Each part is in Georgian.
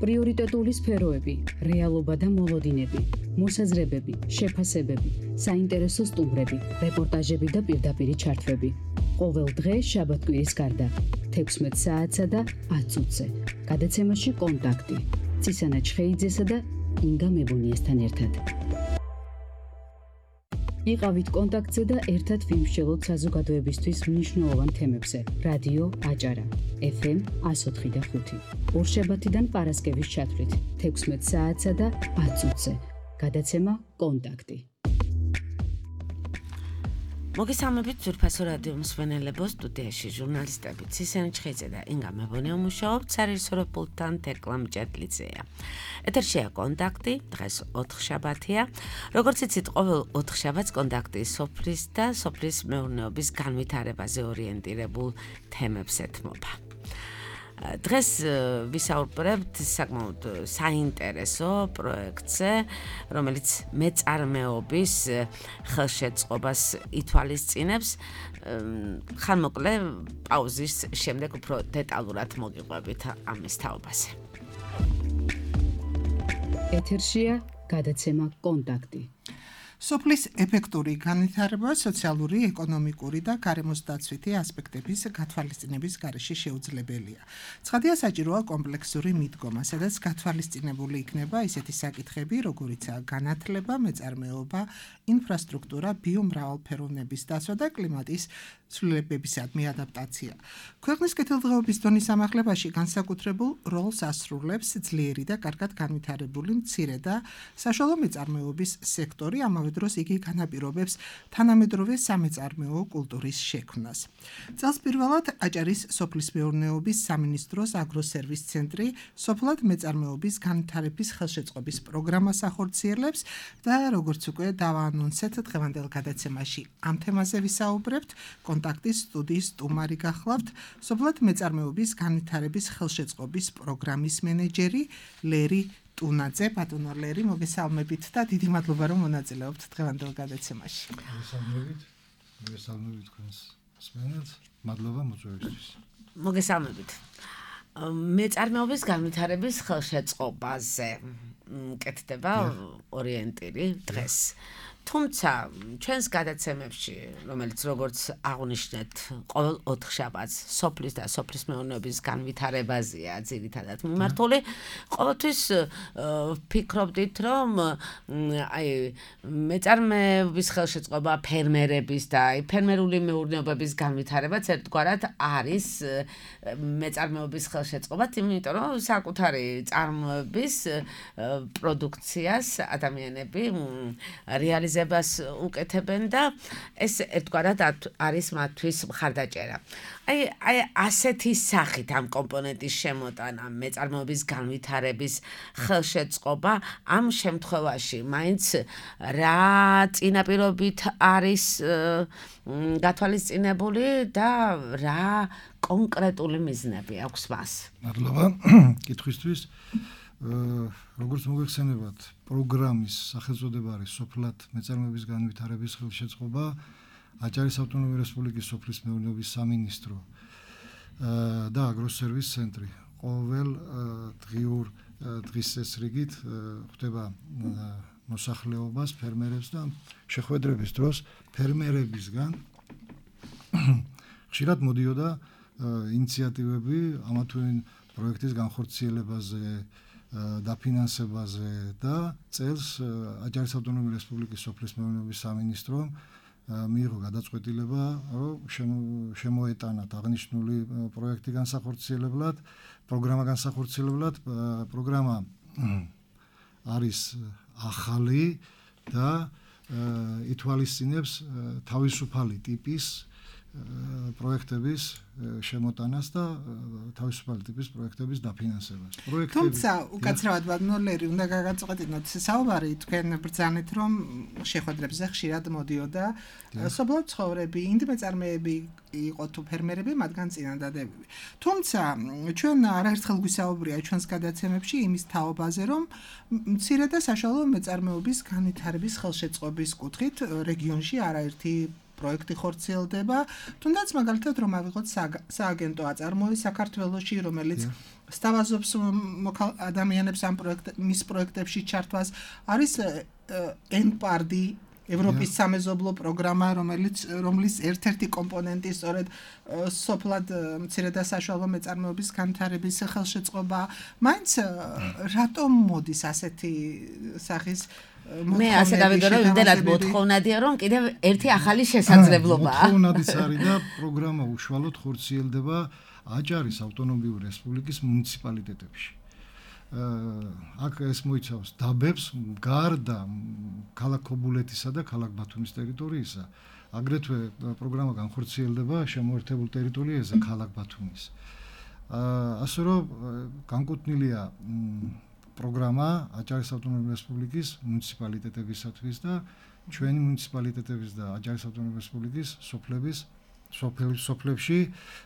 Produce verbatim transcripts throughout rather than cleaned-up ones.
პრიორიტეტული სფეროები, რეალობა და მოლოდინები, მოსაზრებები, შეფასებები, საინტერესო სტუმრები, რეპორტაჟები და პირდაპირი ჩართვები. ყოველ დღე შაბათ-კვირის გარდა, თექვსმეტ საათსა და ათ წუთზე. გადაცემაში კონტაქტი. ცისანა ჩხეიძესა და ინგა მებუნიესთან ერთად. იყავით კონტაქტზე და ერთად ვიმსჯელოთ საზოგადოებისთვის მნიშვნელოვან თემებზე. რადიო აჭარა, ეფ ემ εκατო ოთხი და ხუთი. ორშაბათიდან პარასკევის ჩათვლით, თექვსმეტ საათსა და ათ წუთზე. გადაცემა კონტაქტი. მოგესალმებით ძვირფასო რადიო მსმენელებო, სტუდიაში ჟურნალისტები ცისანა ჩხეიძე და ინგა მებუნია მუშაობთ, სარეჟისორო პულტთან თეკლა მჭედლიძეა. ეთერშია კონტაქტი, დღეს ოთხშაბათია. როგორც იცით, ყოველ ოთხშაბათს კონტაქტი სოფლის და სოფლის მეურნეობის განვითარებაზე ორიენტირებულ თემებს ეთმობა. დღეს ვისაუბრებთ საკმაოდ საინტერესო პროექტზე, რომელიც მეწარმეობის ხელშეწყობას ითვალისწინებს. ხანმოკლე პაუზის შემდეგ უფრო დეტალურად მოგიყვებით ამის თაობაზე. ეთერშია გადაცემა კონტაქტი. სოფლის ეფექტური განვითარება სოციალური, ეკონომიკური და გარემოსდაცვითი ასპექტების გათვალისწინების გარეშე შეუძლებელია. ცხადია, საჭიროა კომპლექსური მიდგომა, სადაც გათვალისწინებული იქნება ისეთი საკითხები, როგორიცაა განათლება, მეწარმეობა, ინფრასტრუქტურა, ბიომრავალფეროვნების დაცვა და კლიმატის ცვლილებებისადმი ადაპტაცია. ქვეყნის კეთილდღეობის დონის ამახლებაში განსაკუთრებულ როლს ასრულებს ძლიერი და კარგად განვითარებული მცირე და საშუალო მეწარმეობის სექტორი, ამავე დროს იგი განაპირობებს თანამედროვე სამეწარმეო კულტურის შექმნას. წელს პირველად აჭარის სოფლის მეურნეობის სამინისტროს აგროსერვის ცენტრი სოფლად მეწარმეობის განვითარების ხელშეწყობის პროგრამას ახორციელებს და როგორც უკვე დავაანონსეთ, დღევანდელ გადაცემაში ამ თემაზე ვისაუბრებთ. კონტაქტის სტუდიის სტუმარი გახლავთ სოფლად მეწარმეობის განვითარების ხელშეწყობის პროგრამის მენეჯერი ლერი ტუნაძე. ბატონო ლერი, მოგესალმებით და დიდი მადლობა, რომ მონაწილეობთ დღევანდელ გადაცემაში. მოგესალმებით. მოგესალმებით თქვენს მსმენელს. მადლობა მოწვევისთვის. მოგესალმებით. მეწარმეობის განვითარების ხელშეწყობაზე კეთდება ორიენტირი დღეს. თუმცა ჩვენს გადაცემებში, რომელიც როგორც აღვნიშნეთ, ყოველ ოთხშაბათს სოფლის და სოფლის მეურნეობის განვითარებაზეა ძირითადად მიმართული, ყოველთვის ვფიქრობდით, რომ აი მეწარმეობის ხელშეწყობა, ფერმერების და აი ფერმერული მეურნეობების განვითარებაც ერთგვარად არის მეწარმეობის ხელშეწყობა, იმიტომ რომ საკუთარი წარმოების პროდუქციას ადამიანები რეალიზ ზებას უკეთებენ და ეს ერთგვარად არის მათთვის მხარდაჭერა. აი აი ასეთი სახით ამ კომპონენტის შემოტანა, მეწარმეობის განვითარების ხელშეწყობა ამ შემთხვევაში მაინც რა წინაპირობით არის გათვალისწინებული და რა კონკრეტული მიზნები აქვს მას? მადლობა კითხვისთვის. როგორც მოგეხსენებათ, პროგრამის სახელწოდება არის სოფლად მეწარმეობის განვითარების ხელშეწყობა, აჭარის ავტონომიური რესპუბლიკის სოფლის მეურნეობის სამინისტრო და აგროსერვის ცენტრი. ყოველ დღიურ დღის წესრიგით ხდება მოსახლეობას, ფერმერებს და შეხვედრების დროს ფერმერებისგან ხშირად მოდიოდა ინიციატივები ამა თუ იმ პროექტის განხორციელებაზე, დაფინანსებაზე და წელს აჭარის ავტონომიური რესპუბლიკის სოფლის მეურნეობის სამინისტრომ მიიღო გადაწყვეტილება, რომ შემოეტანათ აღნიშნული პროექტი განსახორციელებლად, პროგრამა განსახორციელებლად. პროგრამა არის ახალი და ითვალისწინებს თავისუფალი ტიპის პროექტების შემოტანას და თავისუფალი ტიპის პროექტების დაფინანსებას. თუმცა უკაცრავად ბატონოლერი უნდა გაგაწყვეტინოთ საუბარი თქვენ ბრძანეთ, რომ შეხვედრებზე ხშირად მოდიოდა სოფლად ცხოვრები, ინდიმეწარმეები იყო თუ ფერმერები, მათგან წინადადებები. თუმცა ჩვენ არაერთხელ გვისაუბრია ჩვენს გადაცემებში იმის თაობაზე, რომ მცირე და საშუალო მეწარმეობის განვითარების ხელშეწყობის კუთხით რეგიონში არაერთი პროექტი ხორციელდება, თუნდაც მაგალითად რომ ავიღოთ სააგენტო აწარმოი საქართველოში, რომელიც სთავაზობს ადამიანებს ამ პროექტ მის პროექტებში ჩართვას არის ენპარდი ევროპის სამეზობლო პროგრამა რომელიც რომლის ერთ-ერთი კომპონენტი სწორედ სოფლად მცირე და საშუალო მეწარმეობის განვითარების ხელშეწყობა მაინც რატომ მოდის ასეთი სახის მე ასე გავიგე რომ იმდენად მოთხოვნადია რომ კიდევ ერთი ახალი შესაძლებლობაა მოთხოვნადიც არის და პროგრამა უშუალოდ ხორციელდება აჭარის ავტონომიური რესპუბლიკის მუნიციპალიტეტებში აქ ეს მოიცავს დაბებს გარდა ქალაქ ქობულეთისა და ქალაქ ბათუმის ტერიტორიისა აგრეთვე პროგრამა განხორციელდება შემოერთებულ ტერიტორიაზე ქალაქ ბათუმის ასე რომ განკუთვნილია პროგრამა აჭარის ავტონომიური რესპუბლიკის მუნიციპალიტეტებისათვის და ჩვენი მუნიციპალიტეტების და აჭარის ავტონომიური რესპუბლიკის სოფლების სოფლებში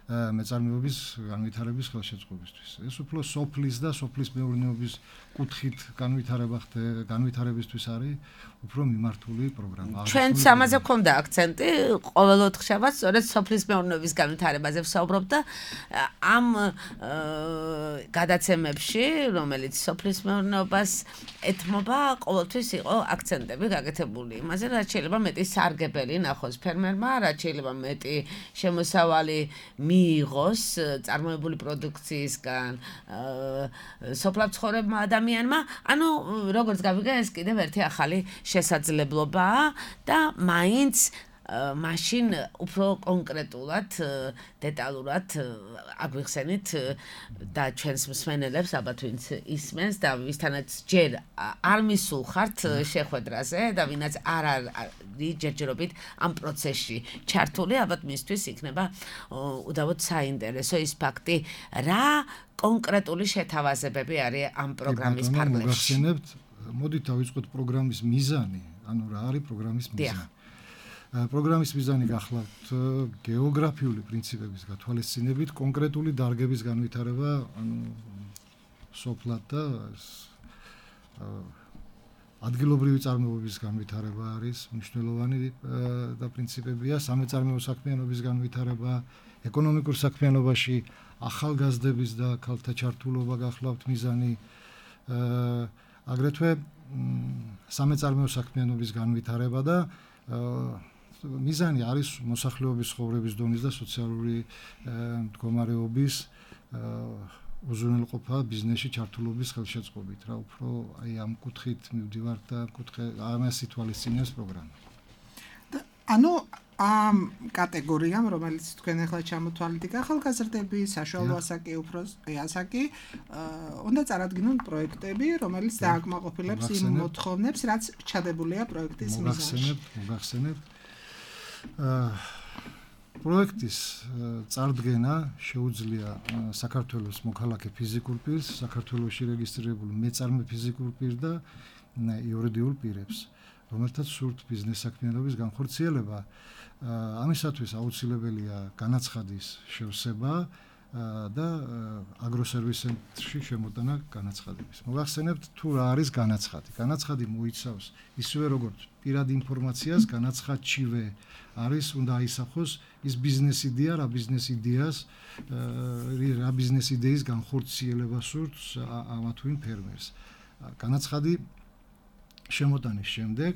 მეწარმეობის განვითარების ხელშეწყობისთვის. ეს უფრო სოფლის და სოფლის მეურნეობის კუთხით განვითარება განვითარებისთვის არის უფრო მიმართული პროგრამა. ჩვენც ამაზე გვქონდა აქცენტი, ყოველ ოთხშაბათს სწორედ სოფლის მეურნეობის განვითარებაზე ვსაუბრობ და ამ გადაცემებში, რომელიც სოფლის მეურნეობას ეთმობა, ყოველთვის იყო აქცენტები გაკეთებული იმაზე, რაც შეიძლება მეტი სარგებელი ნახოს ფერმერმა, რაც შეიძლება მეტი შემოსავალი მიიღოს წარმოებული პროდუქციისგან სოფლად ცხოვრებმა ადამიანმა, ანუ როგორც გავიგე, ეს კიდევ ერთი ახალი შესაძლებლობაა და მაინც მაშინ უფრო კონკრეტულად დეტალურად აგვიხსენით და ჩვენს მსმენელებს ალბათ ვინც ისმენს და ვისთანაც ჯერ არ მისულ ხართ შეხვედრაზე და ვინაც არ არის ჯერჯერობით ამ პროცესში ჩართული ალბათ მისთვის იქნება უდავოდ საინტერესო ის ფაქტი რა კონკრეტული შეთავაზებები არის ამ პროგრამის ფარგლებში. მოგახსენებთ, მოდით დავიწყოთ პროგრამის მიზანი, ანუ რა არის პროგრამის მიზანი. პროგრამის მიზანი გახლავთ გეოგრაფიული პრინციპების გათვალისწინებით კონკრეტული დარგების განვითარება, ანუ სოფლად და ადგილობრივი წარმოების განვითარება არის მნიშვნელოვანი და პრინციპებია, სამეწარმეო საქმიანობის განვითარება, ეკონომიკურ საქმიანობაში ახალგაზრდების და ქალთა ჩართულობა გახლავთ მიზანი, აგრეთვე სამეწარმეო საქმიანობის განვითარება და მიზანი არის მოსახლეობის ცხოვრების დონის და სოციალური მდგომარეობის უზრუნველყოფა ბიზნესში ჩართულობის ხელშეწყობით რა უფრო აი ამ კუთხით მივდივართ და კუთხე ამას ითვალისწინებს პროგრამა. ანუ ამ კატეგორიამ რომელიც თქვენ ახლა ჩამოთვალეთ იქ ახალგაზრდები, საშუალო ასაკი, უფროსი ასაკი უნდა წარადგინონ პროექტები, რომელიც დააკმაყოფილებს იმ მოთხოვნებს, რაც ჩადებულია პროექტის მიზანში. მოგახსენებთ, მოგახსენებთ პროექტის წარდგენა შეუძლია საქართველოს მოქალაქე ფიზიკურ პირს, საქართველოში რეგისტრირებულ მეწარმე ფიზიკურ პირს და იურიდიულ პირებს, რომელთაც სურთ ბიზნეს საქმიანობის განხორციელება. ამისათვის აუცილებელია განაცხადის შევსება და აგროსერვის ცენტრში შემოტანა განაცხადების. მოგახსენებთ თუ რა არის განაცხადი. განაცხადი მოიცავს ისევე როგორც პირად ინფორმაციას, განაცხადშივე არის უნდა აისახოს ის ბიზნეს იდეა, რა ბიზნეს იდეას, რა ბიზნეს იდეის განხორციელება სურთს ამა თუ იმ ფერმერს. განაცხადი შემოტანის შემდეგ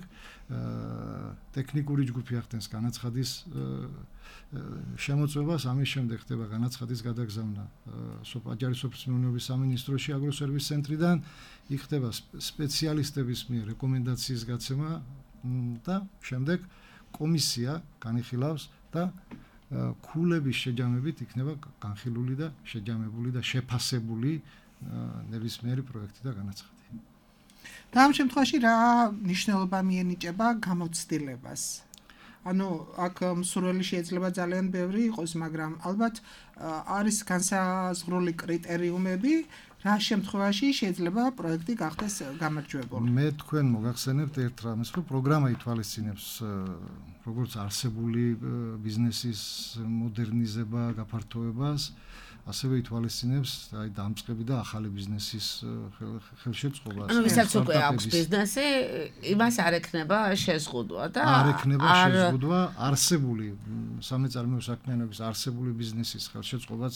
ტექნიკური ჯგუფი ახდენს განაცხადის შემოწმებას, ამის შემდეგ ხდება განაცხადის გადაგზავნა აჭარის სოფლის მეურნეობის სამინისტროში აგროსერვის ცენტრიდან, იქ ხდება სპეციალისტების მიერ რეკომენდაციის გაცემა და შემდეგ კომისია განიხილავს და ქულების შეჯამებით იქნება განხილული და შეჯამებული და შეფასებული ნებისმიერი პროექტი და განაცხადი. და ამ შემთხვევაში რა მნიშვნელობა მიენიჭება გამოცდილებას? ანუ აქ მსურველი შეიძლება ძალიან ბევრი იყოს, მაგრამ ალბათ არის განსაზღვრული კრიტერიუმები, რა შემთხვევაში შეიძლება პროექტი გახდეს გამარჯვებული. მე თქვენ მოგახსენებთ ერთ რამეს, რომ პროგრამა ითვალისწინებს როგორც არსებული ბიზნესის მოდერნიზება, გაფართოებას, ასევე ითვალისწინებს აი დამწყები და ახალი ბიზნესის ხელშეწყობას. ანუ ვისაც უკვე აქვს ბიზნესი, იმას არ ექნება შეზღუდვა და არ ექნება შეზღუდვა არსებული სამეწარმეო საქმიანობის არსებული ბიზნესის ხელშეწყობას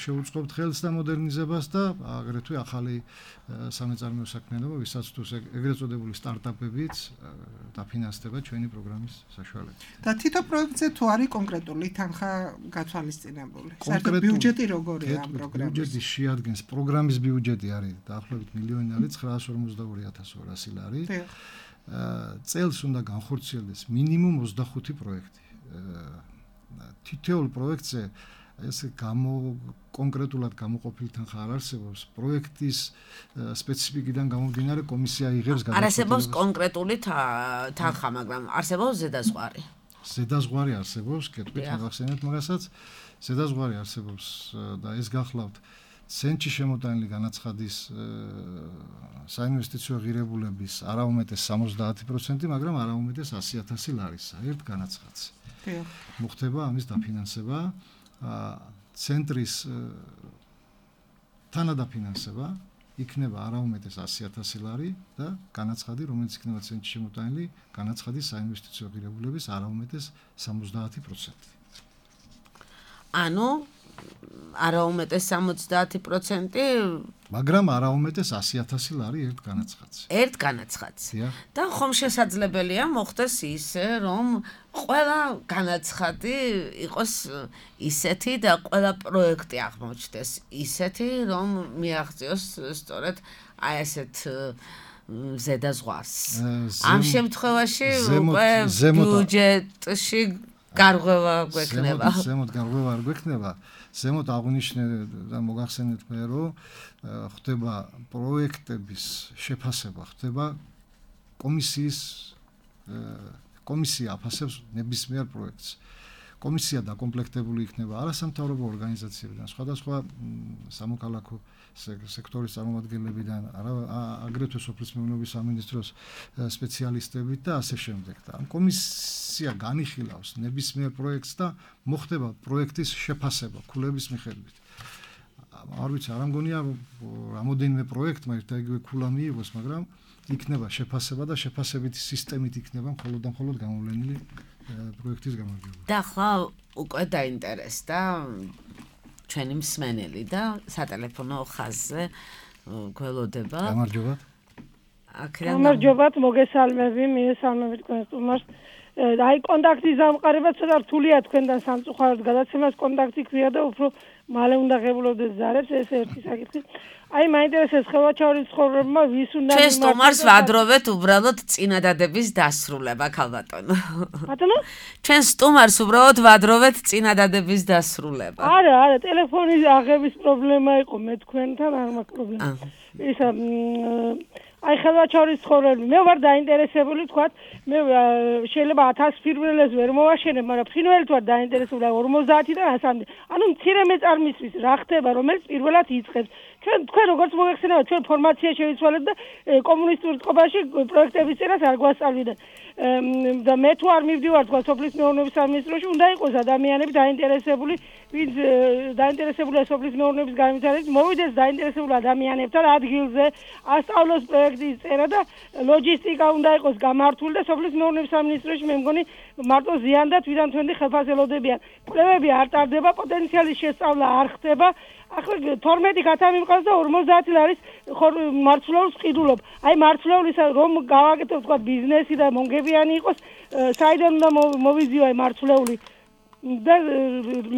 შეუწყობთ ხელს და მოდერნიზებას და აგრეთვე ახალი სამეწარმეო საქმიანობა, ვისაც თუ ეგრეთ წოდებული სტარტაპებიც დაფინანსდება ჩვენი პროგრამის საშუალებით. და თითო პროექტზე თუ არის კონკრეტული თანხა გათვალისწინებული. საერთოდ ბიუჯეტი როგორია ამ პროგრამის? ბიუჯეტი შეადგენს პროგრამის ბიუჯეტი არის დაახლოებით მილიონი არის ცხრაას ორმოცდაორი ათას ორასი ლარი. წელს უნდა განხორციელდეს მინიმუმ ოცდახუთი პროექტი. თითოეულ პროექტზე ეს გამო კონკრეტულად გამოყოფილი თანხა არ არსებობს. პროექტის სპეციფიკიდან გამომდინარე კომისია იღებს გადაწყვეტილებას. არ არსებობს კონკრეტული თანხა, მაგრამ არსებობს ზედაზღვარი. ზედაზღვარი არსებობს, კეთვით მოგახსენეთ მაგასაც. ზედაზღვარი არსებობს და ეს გახლავთ ცენტში შემოტანილი განაცხადის საინვესტიციო ღირებულების არაუმეტეს სამოცდაათი პროცენტი, მაგრამ არაუმეტეს ასი ათასი ლარისა ერთ განაცხადს. მოხდება ამის დაფინანსება. ცენტრის თანადაფინანსება იქნება არაუმეტეს ასი ათასი ლარი და განაცხადი, რომელიც იქნება ცენტში შემოტანილი, განაცხადის საინვესტიციო ღირებულების არაუმეტეს სამოცდაათი პროცენტი. ანუ არაუმეტეს სამოცდაათი პროცენტი, მაგრამ არაუმეტეს ასი ათასი ლარი ერთ განაცხადს. ერთ განაცხადს. და ხომ შესაძლებელია მოხდეს ისე, რომ ყველა განაცხადი იყოს ისეთი და ყველა პროექტი აღმოჩნდეს ისეთი, რომ მიაღწიოს სწორედ აი ესეთ ზედაზღვარს. ამ შემთხვევაში უკვე ბიუჯეტში გარღვევა გვექნება. ზემოთ გარღვევა არ გვექნება. ზემოთ აღნიშნე და მოგახსენეთ მე, რომ ხდება პროექტების შეფასება, ხდება კომისიის კომისია აფასებს ნებისმიერ პროექტს. კომისია დაკომპლექტებული იქნება არასამთავრობო ორგანიზაციებიდან, სხვადასხვა სამოქალაქო სექტორის წარმომადგენლებიდან, აგრეთვე სოფლის მეურნეობის სამინისტროს სპეციალისტებით და ასე შემდეგ. და ამ კომისია განიხილავს ნებისმიერ პროექტს და მოხდება პროექტის შეფასება ქულების მიხედვით. არ ვიცი, არ მგონია რამოდენიმე პროექტმა ერთ და იგივე ქულა მიიღოს, მაგრამ იქნება შეფასება და შეფასებითი სისტემით იქნება მხოლოდ და მხოლოდ გამოვლენილი პროექტის გამარჯვება. და ახლა უკვე დაინტერესდა ჩვენი მსმენელი და სატელეფონო ხაზზე გველოდება. გამარჯობათ. გამარჯობათ, მოგესალმები, მიესალმებით თქვენ სტუმარს. აი კონტაქტის დამყარება ცოტა რთულია თქვენთან სამწუხაროდ გადაცემას კონტაქტი ქვია და უფრო მალე უნდა ღებულობდეს ზარებს, ეს ერთი საკითხი. აი მაინტერესებს ხელვაჩაურის ცხოვრება ვის უნდა ჩვენ სტუმარს ვადროვეთ უბრალოდ წინადადების დასრულება, ქალბატონო. ბატონო? ჩვენ სტუმარს უბრალოდ ვადროვეთ წინადადების დასრულება. არა, არა, ტელეფონის აღების პრობლემა იყო მე თქვენთან, არ მაქვს პრობლემა. ისა აი ხელვაჩაურის ცხოვრება მე ვარ დაინტერესებული, თქვათ, მე შეიძლება ათას ფირმელეს ვერ მოვაშენებ, მაგრამ ფრინველით ვარ დაინტერესებული ორმოცდაათიდან ასამდე. ანუ მცირე მეწარმისთვის რა ხდება, რომელიც პირველად იწყებს. ჩვენ თქვენ როგორც მოგეხსენება, ჩვენ ფორმაცია შევიცვალეთ და კომუნისტურ წყობაში პროექტების წერას არ გვასწავლიდან. და მე თუ არ მივდივარ თქვა სოფლის მეურნეობის სამინისტროში, უნდა იყოს ადამიანები დაინტერესებული, ვინც დაინტერესებულია სოფლის მეურნეობის განვითარებით, მოვიდეს დაინტერესებულ ადამიანებთან ადგილზე, ასწავლოს პროექტის წერა და ლოჯისტიკა უნდა იყოს გამართული და სოფლის მეურნეობის სამინისტროში მე მგონი მარტო ზიან და თვითონ თქვენი ხელფასელოდებიან. კვლევები არ ტარდება, პოტენციალის შესწავლა არ ხდება. ახლა თორმეტი გათამი მყავს და ორმოცდაათი ლარის მარცვლეულს ყიდულობ. აი მარცვლეულის რომ გავაკეთებ თქვა ბიზნესი და მონგებიანი იყოს, საიდან უნდა მოვიზიო აი მარცვლეული და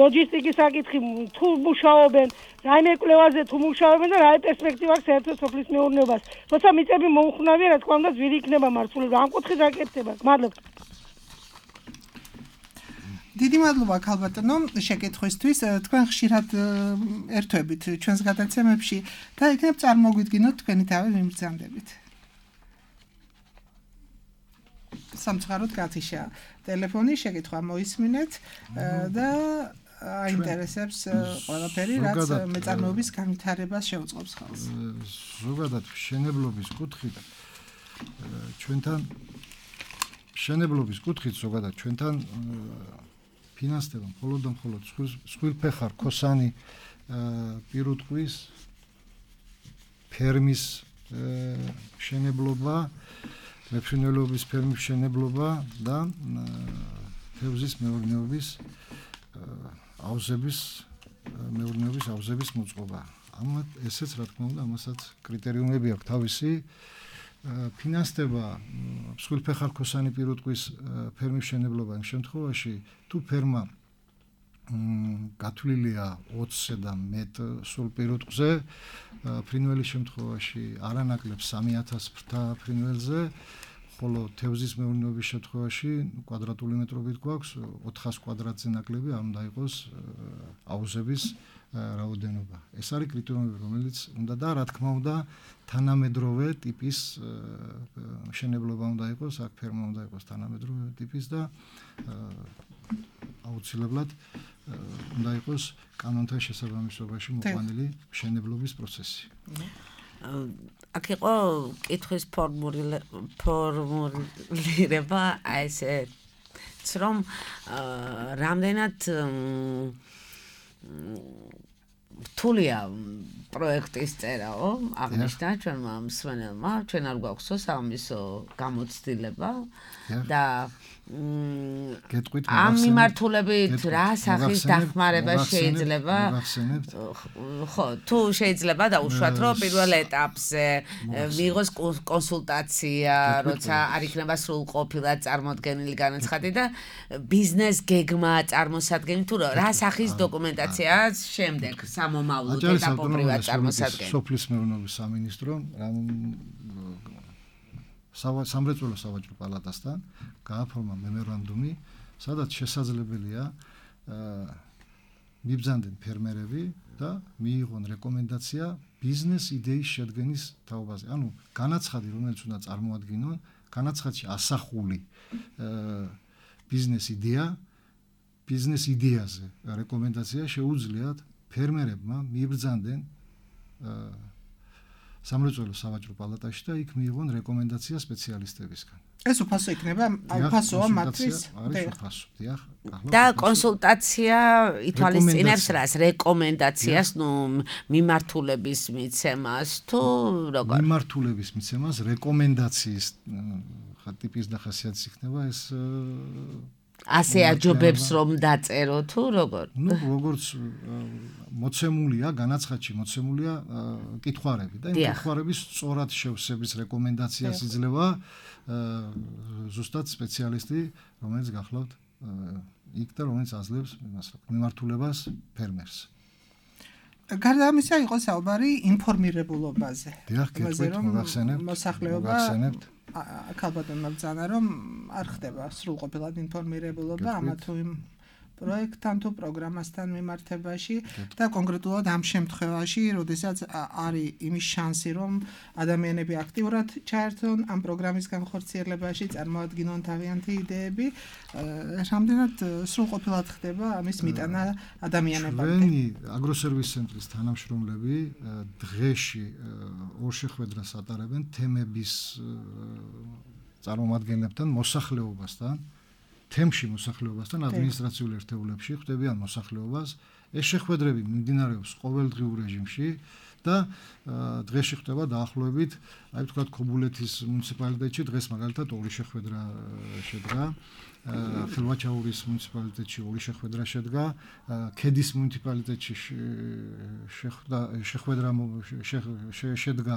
ლოჯისტიკის საკითხი თუ მუშაობენ, რაიმე კვლევაზე თუ მუშაობენ და რა პერსპექტივა აქვს საერთოდ სოფლის მეურნეობას. როცა მიწები მოუხნავია, რა თქმა უნდა, ძვირი იქნება მარცვლეული. ამ კუთხით აკეთდება. მადლობა. დიდი მადლობა ქალბატონო შეკითხვისთვის. თქვენ ხშირად ერთვებით ჩვენს გადაცემებში და იქნებ წარმოგვიდგინოთ თქვენი თავი მიმბრძანდებით. სამწუხაროდ გათიშა ტელეფონი, შეკითხვა მოისმინეთ და აინტერესებს ყველაფერი, რაც მეწარმეობის განვითარებას შეუწყობს ხელს. ზოგადად მშენებლობის კუთხით ჩვენთან მშენებლობის კუთხით ზოგადად ჩვენთან ფინანსდება მხოლოდ და მხოლოდ სხვილფეხარ ქოსანი პირუტყვის ფერმის შენებლობა, მეფრინველობის ფერმის შენებლობა და თევზის მეურნეობის აუზების მეურნეობის აუზების მოწყობა. ამათ ესეც რა თქმა უნდა ამასაც კრიტერიუმები აქვს თავისი ფინანსდება სხვილფეხარ ქოსანი პირუტყვის ფერმის შენებლობა იმ შემთხვევაში თუ ფერმა გათვლილია ოცზე და მეტ სულ პირუტყვზე ფრინველის შემთხვევაში არანაკლებ სამი ათას ფრთა ფრინველზე ხოლო თევზის მეურნეობის შემთხვევაში კვადრატული მეტრობით გვაქვს ოთხას კვადრატზე ნაკლები არ უნდა იყოს აუზების რაოდენობა. ეს არის კრიტერიუმები, რომელიც უნდა და რა თქმა უნდა თანამედროვე ტიპის მშენებლობა უნდა იყოს, აქ ფერმა უნდა იყოს თანამედროვე ტიპის და აუცილებლად უნდა იყოს კანონთან შესაბამისობაში მოყვანილი მშენებლობის პროცესი. აქ იყო კითხვის ფორმულირება აი ესეც რომ რამდენად რთულია პროექტის წერაო აღნიშნა ჩვენმა მსმენელმა ჩვენ არ გვაქვსო სამისო გამოცდილება და ამ მიმართულებით რა სახის დახმარება შეიძლება ხო თუ შეიძლება დაუშვათ რომ პირველ ეტაპზე მიიღოს კონსულტაცია როცა არ იქნება სრულყოფილად წარმოდგენილი განაცხადი და ბიზნეს გეგმა წარმოსადგენი თუ რა სახის დოკუმენტაციაა შემდეგ სამომავლოდ ეტაპობრივად წარმოსადგენი სოფლის მეურნეობის სამინისტრო სამრეწველო სავაჭრო პალატასთან გააფორმა მემორანდუმი, სადაც შესაძლებელია მიბრძანდნენ ფერმერები და მიიღონ რეკომენდაცია ბიზნეს იდეის შედგენის თაობაზე. ანუ განაცხადი, რომელიც უნდა წარმოადგინონ, განაცხადში ასახული ბიზნეს იდეა, ბიზნეს იდეაზე რეკომენდაცია შეუძლიათ ფერმერებმა მიბრძანდნენ სამრეწველო სავაჭრო პალატაში და იქ მიიღონ რეკომენდაცია სპეციალისტებისგან. ეს უფასო იქნება, უფასოა მათთვის. და კონსულტაცია ითვალისწინებს რას? რეკომენდაციას, ნუ მიმართულების მიცემას თუ როგორ? მიმართულების მიცემას, რეკომენდაციის ტიპის და ხასიათის იქნება ეს ასე აჯობებს რომ დაწერო თუ როგორ? ნუ როგორც მოცემულია, განაცხადში მოცემულია კითხვარები და იმ კითხვარების სწორად შევსების რეკომენდაციას იძლევა ზუსტად სპეციალისტი, რომელიც გახლავთ იქ და რომელიც აძლევს მიმართულებას ფერმერს. გარდა ამისა იყო საუბარი ინფორმირებულობაზე. დიახ, კითხვით მოგახსენებთ. მოსახლეობა ქალბატონმა ბრძანა რომ არ ხდება სრულყოფილად ინფორმირებულობა ამა თუ იმ პროექტთან თუ პროგრამასთან მიმართებაში და კონკრეტულად ამ შემთხვევაში, როდესაც არის იმის შანსი, რომ ადამიანები აქტიურად ჩაერთონ ამ პროგრამის განხორციელებაში, წარმოადგინონ თავიანთი იდეები, რამდენად სრულყოფილად ხდება ამის მიტანა ადამიანებამდე. ჩვენი აგროსერვის ცენტრის თანამშრომლები დღეში ორ შეხვედრას ატარებენ თემების წარმომადგენლებთან, მოსახლეობასთან. თემში მოსახლეობასთან ადმინისტრაციულ ერთეულებში ხვდებიან მოსახლეობას. ეს შეხვედრები მიმდინარეობს ყოველდღიურ რეჟიმში და დღეში ხდება დაახლოებით, აი ვთქვათ, ქობულეთის მუნიციპალიტეტში დღეს მაგალითად ორი შეხვედრა შედგა. ხელვაჩაურის მუნიციპალიტეტში ორი შეხვედრა შედგა, ქედის მუნიციპალიტეტში შეხვედრა შედგა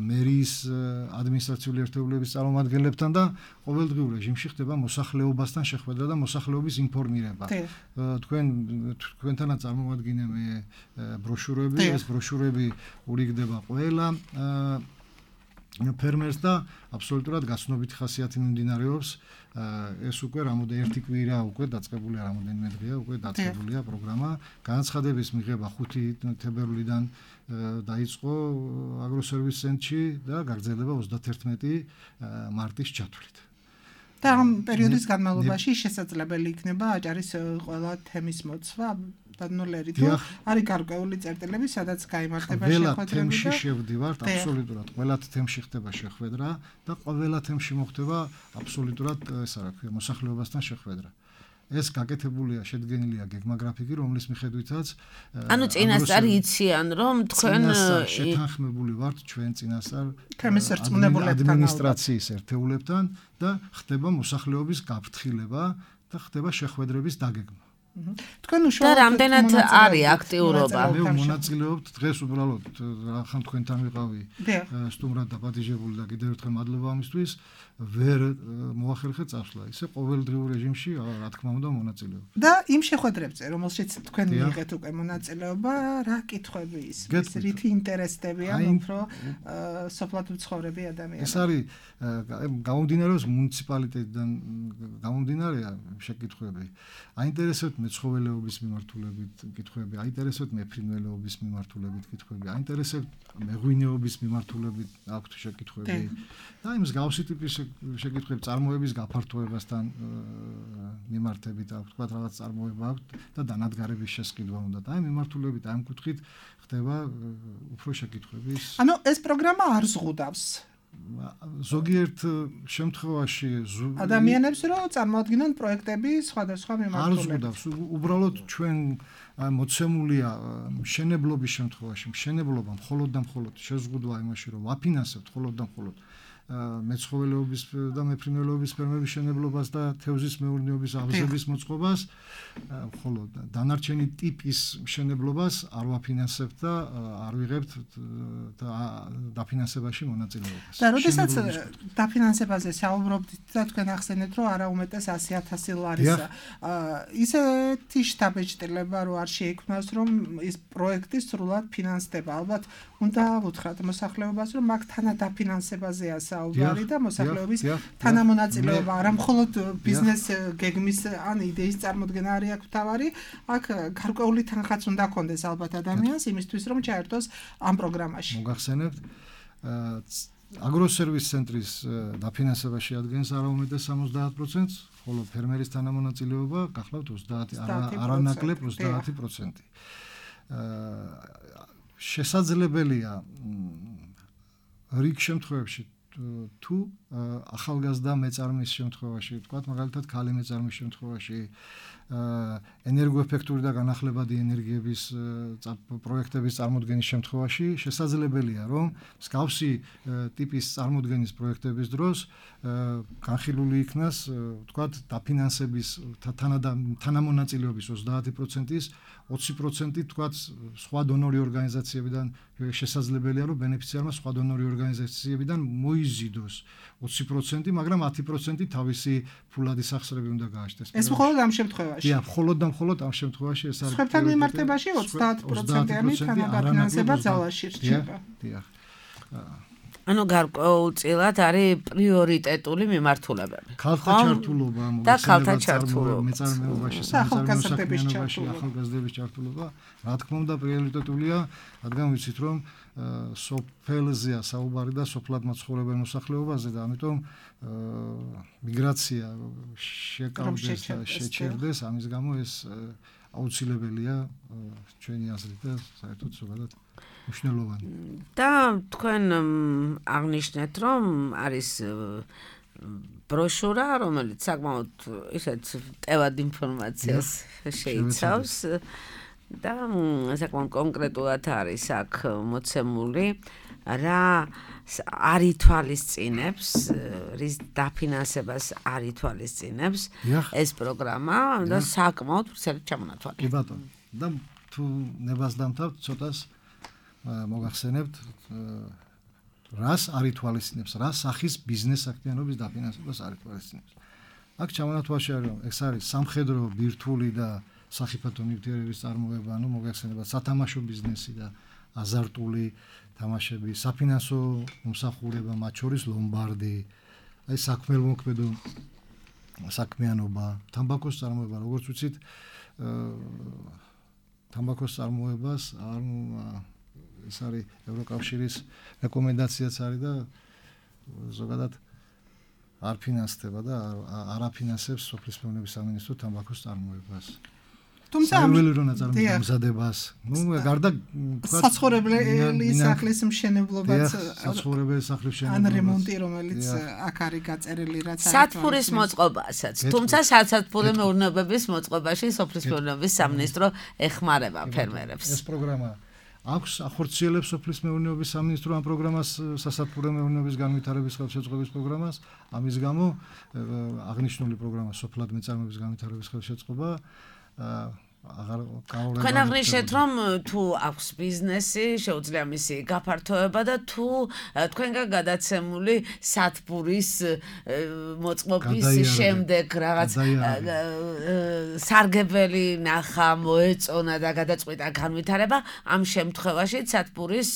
მერიის ადმინისტრაციული ერთეულების წარმომადგენლებთან და ყოველდღიურ რეჟიმში ხდება მოსახლეობასთან შეხვედრა და მოსახლეობის ინფორმირება. თქვენ თქვენთანაც წარმოვადგინე მე ბროშურები, ეს ბროშურები ურიგდება ყველა ფერმერს და აბსოლუტურად გაცნობითი ხასიათი მიმდინარეობს. ეს უკვე რამოდენიმე ერთი კვირა უკვე დაწყებულია, რამოდენიმე დღეა უკვე დაწყებულია პროგრამა. განაცხადების მიღება ხუთი თებერვლიდან დაიწყო აგროსერვის ცენტრში და გაგრძელდება ოცდაათერთმეტი მარტის ჩათვლით. და ამ პერიოდის განმავლობაში შესაძლებელი იქნება აჭარის ყველა თემის მოცვა ბადნოლერი თუ არის გარკვეული წერტილები, სადაც გაიმართება შეხვედრები და თემში შევდივართ, აბსოლუტურად ყველა თემში ხდება შეხვედრა და ყველა თემში მოხდება აბსოლუტურად, ეს რა ქვია, მოსახლეობასთან შეხვედრა. ეს გაკეთებულია, შედგენილია გეგმაგრაფიკი, რომლის მიხედვითაც ანუ წინასწარ იციან, რომ თქვენ შეთანხმებული ვართ ჩვენ წინასწარ თემის რწმუნებულებთან ადმინისტრაციის ერთეულებთან და ხდება მოსახლეობის გაფრთხილება და ხდება შეხვედრების დაგეგმა. თქვენ უშუალოდ და რამდენად არის აქტიურობა? მე მონაწილეობთ დღეს უბრალოდ რახან თქვენთან ვიყავი სტუმრად დაპატიჟებული და კიდევ ერთხელ მადლობა ამისთვის ვერ მოახერხე წასვლა. ისე ყოველდღიურ რეჟიმში რა თქმა უნდა მონაწილეობ. და იმ შეხვედრებზე რომელშიც თქვენ მიიღეთ უკვე მონაწილეობა, რა კითხვები ის რითი ინტერესდებიან უფრო სოფლად მცხოვრები ადამიანები? ეს არის გამომდინარეობს მუნიციპალიტეტიდან გამომდინარეა შეკითხვები. აინტერესებთ მეცხოველეობის მიმართულებით კითხვები, აინტერესებთ მეფრინველეობის მიმართულებით კითხვები, აინტერესებთ მეღვინეობის მიმართულებით აქვთ შეკითხვები და იმ მსგავსი ტიპის შეკითხვები წარმოების გაფართოებასთან მიმართებით აქვთ, თქვა რაღაც წარმოება აქვთ და დანადგარების შესყიდვა უნდა და აი მიმართულებით აი ამ კუთხით ხდება უფრო შეკითხვების. ანუ ეს პროგრამა არ ზღუდავს ზოგიერთ შემთხვევაში ადამიანებს რომ წარმოადგინონ პროექტები სხვადასხვა მიმართულებით. არ ზღუდავს, უბრალოდ ჩვენ მოცემულია მშენებლობის შემთხვევაში, მშენებლობა მხოლოდ და მხოლოდ შეზღუდვა იმაში, რომ ვაფინანსებთ მხოლოდ და მხოლოდ მეცხოველეობის და მეფრინველეობის ფერმების მშენებლობას და თევზის მეურნეობის აღზრდების მოწყობას, მხოლოდ დანარჩენი ტიპის მშენებლობას არ ვაფინანსებთ და არ ვიღებთ დაფინანსებაში მონაწილეობას. და როდესაც დაფინანსებაზე საუბრობთ და თქვენ ახსენეთ, რომ არა უმეტეს ასი ათასი ლარისა, ისეთი შთაბეჭდილება რო არ შეიქმნას, რომ ის პროექტი სრულად ფინანსდება. ალბათ უნდა ვუთხრათ მოსახლეობას, რომ მაგ თანადაფინანსებაზეა საუბარი და მოსახლეობის თანამონაწილეობა, არა მხოლოდ ბიზნეს გეგმის ან იდეის წარმოდგენა არის აქ თავარი, აქ გარკვეული თანხაც უნდა ქონდეს ალბათ ადამიანს იმისთვის, რომ ჩაერთოს ამ პროგრამაში. მოგახსენებთ, აგროსერვის ცენტრის დაფინანსებაში ადგენს არაუმეტეს სამოცდაათ პროცენტს, ხოლო ფერმერის თანამონაწილეობა გახლავთ ოცდაათი, არანაკლებ ოცდაათი პროცენტი. შესაძლებელია რიგ შემთხვევებში თუ ახალგაზრდა მეწარმის შემთხვევაში, თქვათ მაგალითად ქალი მეწარმის შემთხვევაში, ენერგოეფექტური და განახლებადი ენერგიების პროექტების წარმოდგენის შემთხვევაში შესაძლებელია, რომ მსგავსი ტიპის წარმოდგენის პროექტების დროს განხილული იქნას, თქვათ, დაფინანსების თანამონაწილეობის ოცდაათი პროცენტის ოცი პროცენტი თქვათ სხვა დონორი ორგანიზაციებიდან შესაძლებელია, რომ ბენეფიციარმა სხვა დონორი ორგანიზაციებიდან მოიზიდოს ოცი პროცენტი, მაგრამ ათი პროცენტი თავისი ფულადი სახსრები უნდა გააჩნდეს. ეს მხოლოდ ამ შემთხვევაში. დიახ, მხოლოდ და მხოლოდ ამ შემთხვევაში ეს არის. სხვებთან მიმართებაში ოცდაათი პროცენტიანი თანადაფინანსება ძალაში რჩება. დიახ. ანუ გარკვეულწილად არის პრიორიტეტული მიმართულებები. ქალთა ჩართულობა, და ქალთა ჩართულობა, მეწარმეობაში, სახელმწიფოში, ახალგაზრდების ჩართულობა, რა თქმა უნდა, პრიორიტეტულია, რადგან ვიცით, რომ სოფელზეა საუბარი და სოფლად მაცხოვრებელ მოსახლეობაზე და ამიტომ მიგრაცია შეკავდეს და შეჩერდეს, ამის გამო ეს აუცილებელია ჩვენი აზრით და საერთოდ ზოგადად მნიშვნელოვანი. და თქვენ აღნიშნეთ, რომ არის ბროშურა, რომელიც საკმაოდ ისეთ ტევად ინფორმაციას შეიცავს და საკმაოდ კონკრეტულად არის აქ მოცემული, რა არ ითვალისწინებს, რის დაფინანსებას არ ითვალისწინებს ეს პროგრამა და საკმაოდ ვრცელად ჩამონათვალე. კი ბატონო. და თუ ნებას დამთავრდ, ცოტას მოგახსენებთ, რას არ ითვალისწინებს, რა სახის ბიზნეს აქტიანობის დაფინანსებას არ ითვალისწინებს. აქ ჩამონათვალში არის, ეს არის სამხედრო, ბირთვული და სახიფათო ნივთიერების წარმოება, ანუ მოგახსენებათ სათამაშო ბიზნესი და აზარტული თამაშები, საფინანსო მომსახურება, მათ შორის ლომბარდი, აი საქმელმოქმედო საქმიანობა, თამბაქოს წარმოება, როგორც ვიცით, თამბაქოს წარმოებას არ ეს არის ევროკავშირის რეკომენდაციაც არის და ზოგადად არ ფინანსდება და არ აფინანსებს სოფლის მეურნეობის სამინისტრო თამბაქოს წარმოებას. საველირო ნაწარმოების გამზადებას. ნუ გარდა თქვა საცხოვრებელი სახლის მშენებლობაც საცხოვრებელი სახლის მშენებლობა. ან რემონტი, რომელიც აქ არის გაწერილი, რაც არის სათბურის მოწყობასაც. თუმცა სათბური მეურნეობების მოწყობაში სოფლის მეურნეობის სამინისტრო ეხმარება ფერმერებს. ეს პროგრამა აქვს ახორციელებს სოფლის მეურნეობის სამინისტრო ამ პროგრამას, სასათბურო მეურნეობის განვითარების ხელშეწყობის პროგრამას. ამის გამო აღნიშნული პროგრამა სოფლად მეწარმეების განვითარების ხელშეწყობა აღარ გაურება. თქვენ აღნიშნეთ, რომ თუ აქვს ბიზნესი, შეუძლია მისი გაფართოება და თუ თქვენგან გადაცემული სათბურის მოწყობის შემდეგ რაღაც სარგებელი ნახა, მოეწონა და გადაწყვიტა განვითარება, ამ შემთხვევაში სათბურის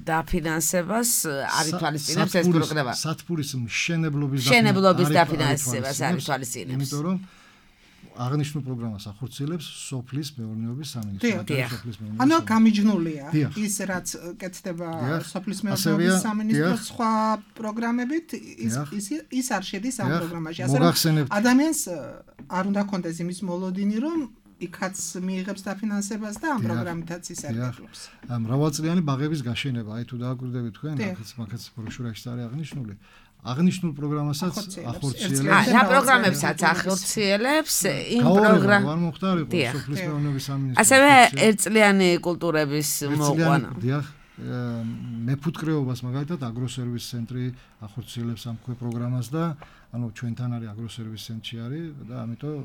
დაფინანსებას არ ითვალისწინებს ეს პროგრამა. სათბურის მშენებლობის დაფინანსებას არ ითვალისწინებს. იმიტომ რომ აღნიშნულ პროგრამას ახორციელებს სოფლის მეურნეობის სამინისტრო. ანუ გამიჯნულია ის რაც კეთდება სოფლის მეურნეობის სამინისტროს სხვა პროგრამებით, ის ის არ შედის ამ პროგრამაში. ასე რომ ადამიანს არ უნდა კონდეს იმის მოლოდინი, რომ იქაც მიიღებს დაფინანსებას და ამ პროგრამითაც ისარგებლობს. მრავალწლიანი ბაღების გაშენება, აი თუ დააკვირდებით თქვენ, აქაც მაგაც ბროშურაში არის აღნიშნული. აღნიშნულ პროგრამასაც ახორციელებს. რა პროგრამებსაც ახორციელებს იმ პროგრამ არ მოხდარიყო სოფლის მეურნეობის სამინისტრო. ასევე ერთწლიანი კულტურების მოყვანა. დიახ, მეფუტკრეობას მაგალითად აგროსერვის ცენტრი ახორციელებს ამ ქვე პროგრამას და ანუ ჩვენთან არის აგროსერვის ცენტრი არის და ამიტომ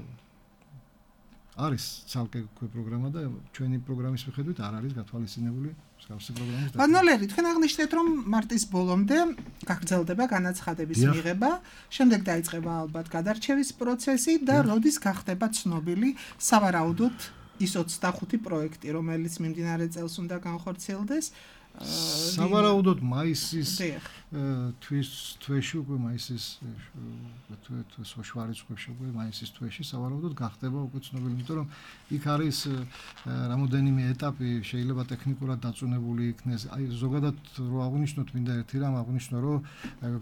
არის ცალკე ქვე პროგრამა და ჩვენი პროგრამის მიხედვით არ არის გათვალისწინებული მსგავსი პროგრამის და ბანოლერი, თქვენ აღნიშნეთ, რომ მარტის ბოლომდე გაგრძელდება განაცხადების მიღება, შემდეგ დაიწყება ალბათ გადარჩევის პროცესი და როდის გახდება ცნობილი სავარაუდოდ ის ოცდახუთი პროექტი, რომელიც მიმდინარე წელს უნდა განხორციელდეს. სავარაუდოდ მაისის თვის თვეში უკვე მაისის თვის შვარიცხვებში უკვე მაისის თვეში სავარაუდოდ გახდება უკვე ცნობილი, იმიტომ რომ იქ არის რამოდენიმე ეტაპი შეიძლება ტექნიკურად დაწუნებული იქნეს. აი ზოგადად რო აღნიშნოთ, მინდა ერთი რამ აღნიშნო, რომ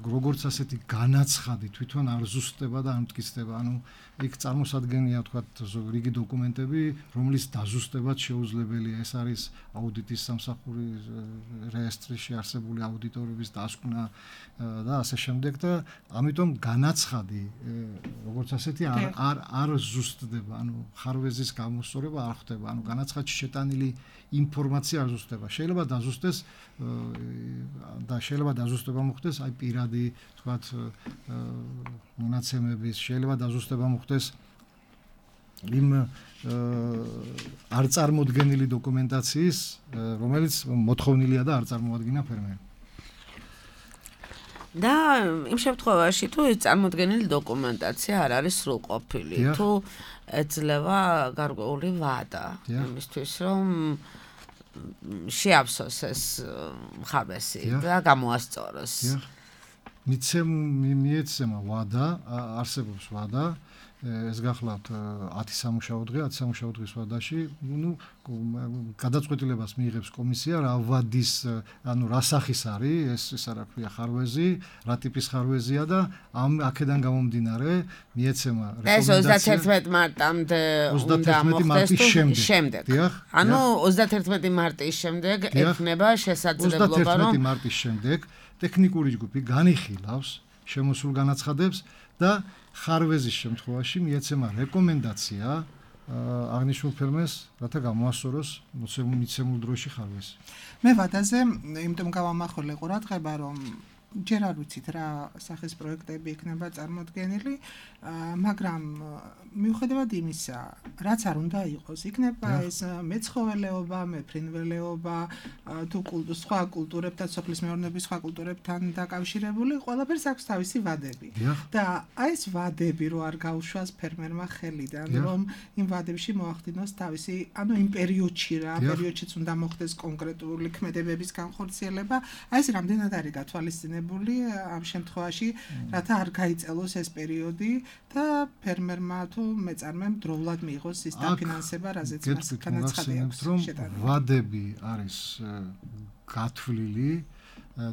როგორც ასეთი განაცხადი თვითონ არ ზუსტდება და არ მტკიცდება. ანუ იქ წარმოსადგენია თქვათ რიგი დოკუმენტები, რომლის დაზუსტებაც შეუძლებელია. ეს არის აუდიტის სამსახური რეესტრში არსებული აუდიტორების დასკვნა და ასე შემდეგ და ამიტომ განაცხადი როგორც ასეთი არ არ არ ზუსტდება, ანუ ხარვეზის გამოსწორება არ ხდება, ანუ განაცხადში შეტანილი ინფორმაცია არ ზუსტდება. შეიძლება დაზუსტდეს და შეიძლება დაზუსტება მოხდეს აი პირადი თქვათ მონაცემების, შეიძლება დაზუსტება მოხდეს იმ არ წარმოდგენილი დოკუმენტაციის, რომელიც მოთხოვნილია და არ წარმოადგინა ფერმერმა. და იმ შემთხვევაში თუ ეს წარმოდგენილი დოკუმენტაცია არ არის სრულყოფილი, თუ ეძლევა გარკვეული ვადა იმისთვის, რომ შეავსოს ეს ხარვესი და გამოასწოროს. მიცემ მიეცემა ვადა, არსებობს ვადა. ეს გახლავთ ათი სამუშაო დღე, ათი სამუშაო დღის ვადაში, ну, გადაწყვეტილებას მიიღებს კომისია, რა ვადის, ანუ რა სახის არის, ეს ეს რა ქვია ხარვეზი, რა ტიპის ხარვეზია და ამ აქედან გამომდინარე მიეცემა რეკომენდაცია. ეს ოცდაათერთმეტი მარტამდე უნდა მოხდეს შემდეგ. ანუ ოცდაათერთმეტი მარტის შემდეგ ექნება შესაძლებლობა, რომ ოცდაათერთმეტი მარტის შემდეგ ტექნიკური ჯგუფი განიხილავს შემოსულ განაცხადებს და ხარვეზის შემთხვევაში მიეცემა რეკომენდაცია აღნიშნულ ფერმერს, რათა გამოასწოროს მიცემულ დროში ხარვეზი. მე ვადაზე იმიტომ გავამახვილე ყურადღება, რომ ჯერ არ ვიცით რა სახის პროექტები იქნება წარმოდგენილი, მაგრამ მიუხედავად იმისა, რაც არ უნდა იყოს, იქნება ეს მეცხოველეობა, მეფრინველეობა, თუ სხვა კულტურებთან, სოფლის მეურნეობის სხვა კულტურებთან დაკავშირებული, ყველაფერს აქვს თავისი ვადები. და აი ეს ვადები რო არ გაუშვას ფერმერმა ხელიდან, რომ იმ ვადებში მოახდინოს თავისი, ანუ იმ პერიოდში რა, პერიოდშიც უნდა მოხდეს კონკრეტული ქმედებების განხორციელება, აი ეს რამდენად არის გათვალისწინებული ამ შემთხვევაში, რათა არ გაიწელოს ეს პერიოდი და ფერმერმა თუ მეწარმემ დროულად მიიღოს ის დაფინანსება, რაზეც მას განაცხადი აქვს. ვადები არის გათვლილი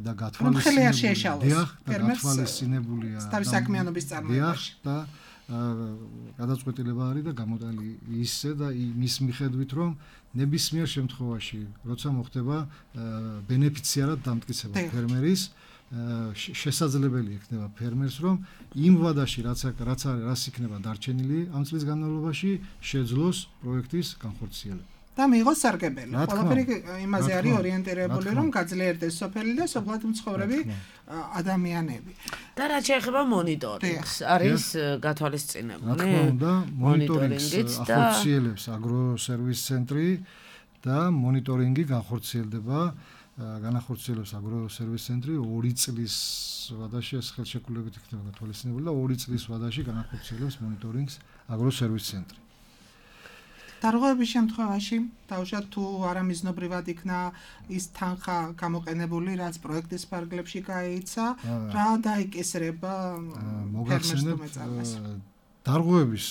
და გათვალისწინებულია ფერმერს თავის საქმიანობის წარმოებაში. და გადაწყვეტილება არის და გამოტანილი ისე და მის მიხედვით რომ ნებისმიერ შემთხვევაში როცა მოხდება ბენეფიციარად დამტკიცება ფერმერის შესაძლებელი იქნება ფერმერს რომ იმ ვადაში რაც რაც არის რაც იქნება დარჩენილი ამ წლის განმავლობაში შეძლოს პროექტის განხორციელება და მიიღოს სარგებელი. ყველაფერი იმაზე არის ორიენტირებული, რომ გაძლიერდეს სოფელი და სოფლად მცხოვრები ადამიანები. და რაც შეეხება მონიტორინგს, არის გათვალისწინებული. რა თქმა უნდა, მონიტორინგს ახორციელებს აგროსერვის ცენტრი და მონიტორინგი განხორციელდება, განახორციელებს აგროსერვის ცენტრი ორი წლის ვადაში ეს ხელშეკრულებით იქნება გათვალისწინებული და ორი წლის ვადაში განახორციელებს მონიტორინგს აგროსერვის ცენტრი. დარღვევების შემთხვევაში თავშად თუ არამიზნობრივად იქნა ის თანხა გამოყენებული, რაც პროექტის ფარგლებში გაიცა, რა დაიკისრება ფერმერს თუ მეწარმეს? დარღვევების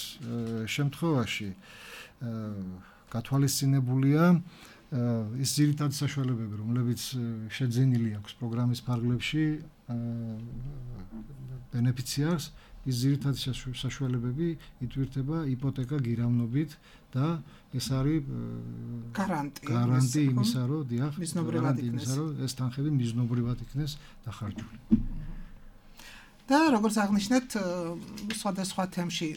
შემთხვევაში გათვალისწინებულია ის ძირითადი საშუალებები, რომლებიც შეძენილი აქვს პროგრამის ფარგლებში ბენეფიციარს, ის ძირითადი საშუალებები ითვირთება იპოთეკა გირავნობით და ეს არის გარანტი იმისა, რომ დიახ, მიზნობრივად იქნეს, რომ ეს თანხები მიზნობრივად იქნეს დახარჯული. და როგორც აღნიშნეთ, სხვადასხვა თემში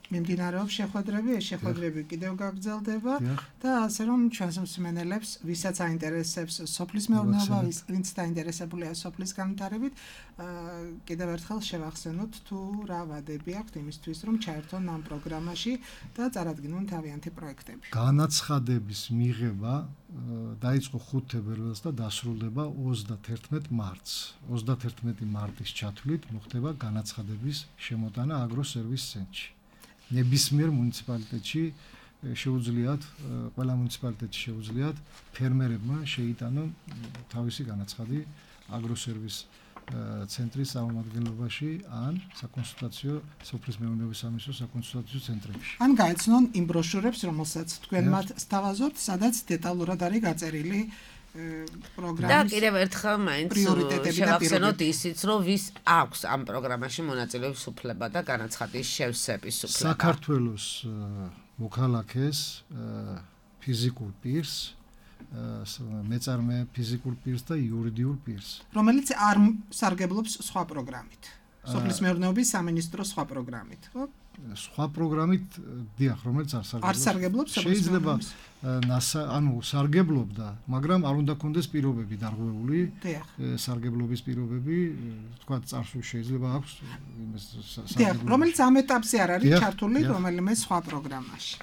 მიმდინარეობს შეხვედრები, ეს შეხვედრები კიდევ გაგრძელდება და ასე რომ ჩვენს მსმენელებს, ვისაც აინტერესებს სოფლის მეურნეობა, ვინც დაინტერესებულია სოფლის განვითარებით, კიდევ ერთხელ შევახსენოთ თუ რა ვადები აქვთ იმისთვის, რომ ჩაერთონ ამ პროგრამაში და წარადგინონ თავიანთი პროექტები. განაცხადების მიღება დაიწყო ხუთი თებერვალს და დასრულდება ოცდაათერთმეტი მარტს. ოცდაათერთმეტი მარტის ჩათვლით მოხდება განაცხადების შემოტანა აგროსერვის ცენტრში. ნებისმიერ მუნიციპალიტეტში შეუძლიათ, ყველა მუნიციპალიტეტში შეუძლიათ ფერმერებმა შეიტანონ თავისი განაცხადი აგროსერვის ცენტრის წარმომადგენლობაში ან საკონსულტაციო სოფლის მეურნეობის სამინისტროს საკონსულტაციო ცენტრებში. ან გაეცნონ იმ ბროშურებს, რომელსაც თქვენ მათ სთავაზობთ, სადაც დეტალურად არის გაწერილი პროგრამის და კიდევ ერთხელ მაინც შევახსენოთ ისიც, რომ ვის აქვს ამ პროგრამაში მონაწილეობის უფლება და განაცხადის შევსების უფლება. საქართველოს მოქალაქეს ფიზიკურ პირს, მეწარმე ფიზიკურ პირს და იურიდიულ პირს, რომელიც არ სარგებლობს სხვა პროგრამით. სოფლის მეურნეობის სამინისტროს სხვა პროგრამით, ხო? სხვა პროგრამით, დიახ, რომელიც არ სარგებლობს. არ სარგებლობს შეიძლება ანუ სარგებლობდა, მაგრამ არ უნდა კონდეს პირობები დარღვეული, სარგებლობის პირობები, თქვა წარსულ შეიძლება აქვს იმის სარგებლობა. რომელიც ამ ეტაპზე არ არის ჩართული რომელიმე სხვა პროგრამაში.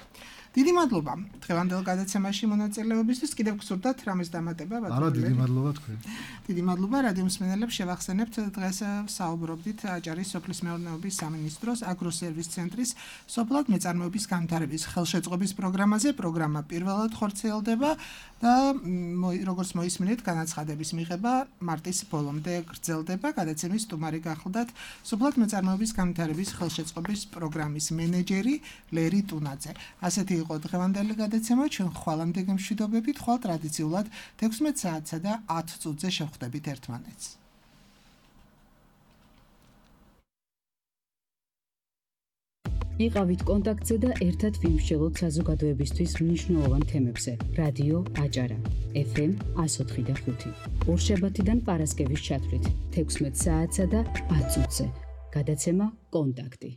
დიდი მადლობა დღევანდელ გადაცემაში მონაწილეობისთვის. კიდევ გსურდათ რამეს დამატება ბატონო? არა, დიდი მადლობა თქვენ. დიდი მადლობა რადიო მსმენელებს. შევახსენებთ დღეს საუბრობდით აჭარის სოფლის მეურნეობის სამინისტროს აგროსერვის ცენტრის სოფლად მეწარმეობის განვითარების ხელშეწყობის პროგრამაზე. პროგრამა პირველად ხორციელდება და როგორც მოისმინეთ, განაცხადების მიღება მარტის ბოლომდე გრძელდება. გადაცემის სტუმარი გახლდათ სოფლად მეწარმეობის განვითარების ხელშეწყობის პროგრამის მენეჯერი ლერი ტუნაძე. ასეთი იყო დღევანდელი გადაცემა. ჩვენ ხვალამდე გემშვიდობებით, ხვალ ტრადიციულად თექვსმეტ საათსა და ათ წუთზე შევხვდებით ერთმანეთს. იყავით კონტაქტზე და ერთად ვიმსჯელოთ საზოგადოებისთვის მნიშვნელოვან თემებზე. რადიო აჭარა ეფ ემ εκατო ოთხი და ხუთი. ორშაბათიდან პარასკევის ჩათვლით თექვსმეტ საათსა და ათ წუთზე. გადაცემა კონტაქტი.